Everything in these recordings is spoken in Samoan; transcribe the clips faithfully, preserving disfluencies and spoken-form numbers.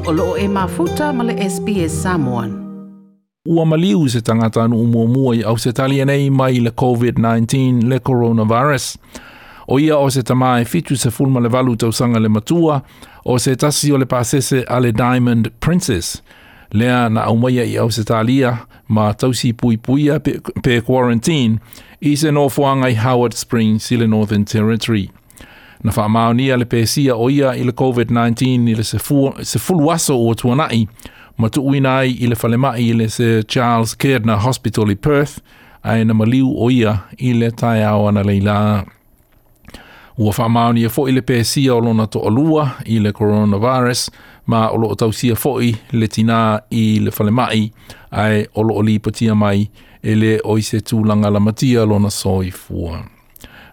O loo e mafuta ma le S B S Samoan. Ua maliu se tagatanuu muamua i Ausetalia nei mai le COVID nineteen, le coronavirus. O ia o se tamā e fitu sefulu ma le valu tausaga le matua, o se tasi o le pasese a le Diamond Princess. Lea na aumaia i Ausetalia ma tausi puipuia pe, pe quarantine i se nofoaga i Howard Springs i le Northern Territory. Na faamaonia le pesia o ia i le COVID nineteen i le sefulu aso ua tuanai ma tuuina ai i le falemai i le Sir Charles Gairdner Hospital i Perth, ae na maliu o ia i le taeao analeila. Ua faamaonia foi le pesia o lona toalua i le coronavirus, ma o loo tausia foi le tinā i le falemai, ae o loo lipotia mai e le o i se tulaga lamatia lona soifua.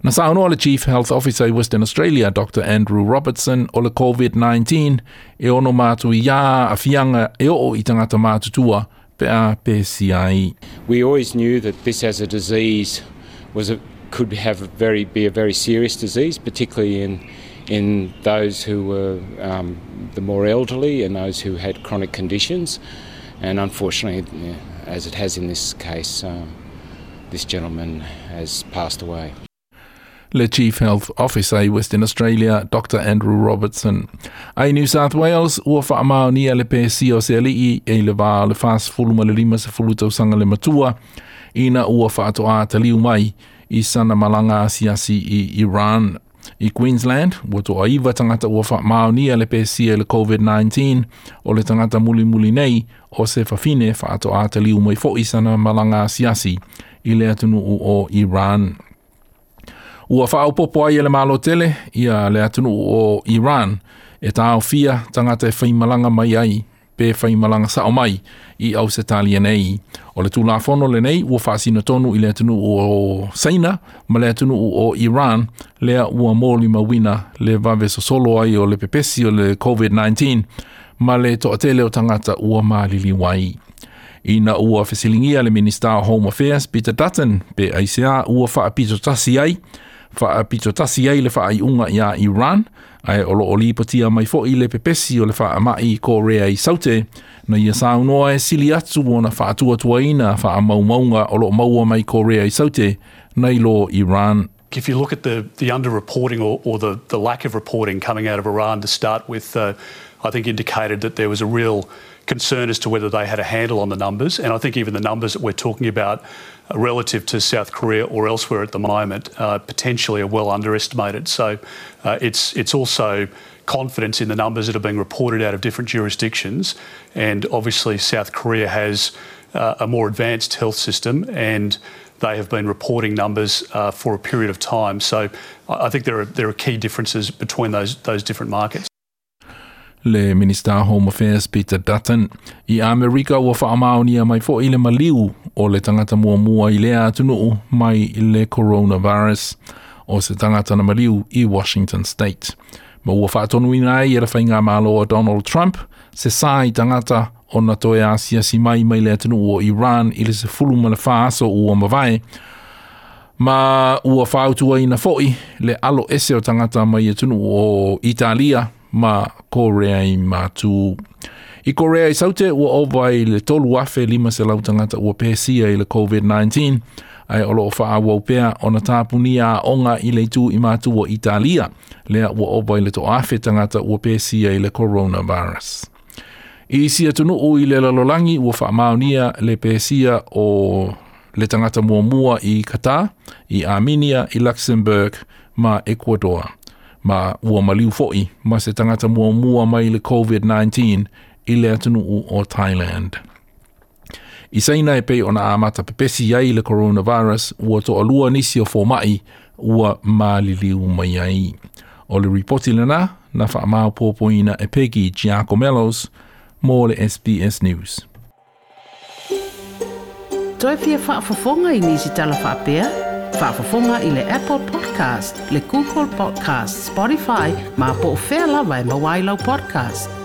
Na saunoa le Chief Health Officer i Western Australia, Doctor Andrew Robertson, o le COVID nineteen e ono matuia aafiaga e oo i tagata matutua pe a pesia ai. We always knew that this as a disease was a, could have a very, be a very serious disease, particularly in, in those who were um, the more elderly and those who had chronic conditions. And unfortunately, as it has in this case, um, this gentleman has passed away. Le Chief Health Officer i Western Australia, Doctor Andrew Robertson. Ai New South Wales, ua faamaonia le pesia o se alii e le vā le fasefulu ma le lima sefulu tausaga le matua, ina ua faatoa taliu mai i sana malaga asiasi i Iran. I Queensland, ua toaiva tagata ua faamaonia le pesia i le COVID nineteen, o le tagata mulimuli nei o se fafine faatoa taliu mai foi sana malaga asiasi i le atunuu o Iran. Ua faaopopo ai e le Malo tele ia le atunuu o Iran e taofia tagata e faimalaga mai ai pe faimalaga sao mai i Ausetalia nei. O le tulafono lenei ua faasinotonu i le atunuu o Saina ma le atunuu o Iran, lea ua molimauina le vave sosolo ai o le pepesi o le COVID nineteen ma le toatele o tagata ua maliliu ai. Ina ua fesiligia le Minista o Home Affairs Peter Dutton pe aisea ua faapitotasi ai faapitotasi ai le faaiuga ia Iran, ae o loo lipotia mai foi le pepesi o le faamai Korea i Saute, na ia saunoa e sili atu ona faatuatuaina faamaumauga o loo maua mai Korea i Saute nai lo Iran. If you look at the, the underreporting or, or the, the lack of reporting coming out of Iran to start with, uh, I think indicated that there was a real concern as to whether they had a handle on the numbers. And I think even the numbers that we're talking about uh, relative to South Korea or elsewhere at the moment uh, potentially are well underestimated. So uh, it's, it's also confidence in the numbers that are being reported out of different jurisdictions. And obviously, South Korea has uh, a more advanced health system and they have been reporting numbers uh, for a period of time. So I think there are, there are key differences between those, those different markets. Le Minista Home Affairs Peter Dutton. I Amerika, ua faamaonia mai foi le maliu o le tagata muamua i lea atunuu mai i le coronavirus, o se tagata na maliu i Washington State. Ma ua faatonuina ai e le faigamalo o Donald Trump se sa i tagata ona toe asiasi mai mai le atunuu o Iran i le sefulu ma le fa aso ua mavae, ma ua fautuaina foi le alo ese o tagata mai atunuu o Italia ma Korea i Matu. I Korea i Saute, ua ova i le tolu afe lima selau tagata ua pesia i le COVID nineteen, ae o loo faaauau pea ona tapunia aoga i le itu i matu o Italia, lea ua ova i le toafe tagata ua pesia i le coronavirus. I isi atunuu i le lalolagi, ua faamaonia le pesia o le tagata muamua i Qatar, i Armenia, i Luxembourg ma Ecuador. Ma ua maliu foi ma se tagata muamua mai le COVID nineteen i le atunuu o Thailand. I Saina, e pei ona amata pepesi ai le coronavirus, ua toalua nisi o fomai ua maliliu mai ai. O le ripoti lena na faamaopoopoina e Peggy Giacomellos mo le S B S News. Toe fia faafofoga i nisi tala faapea? Faafofoga i le Apple Podcast, le Google Podcast, Spotify, ma po o fea lava e maua ai lau podcast.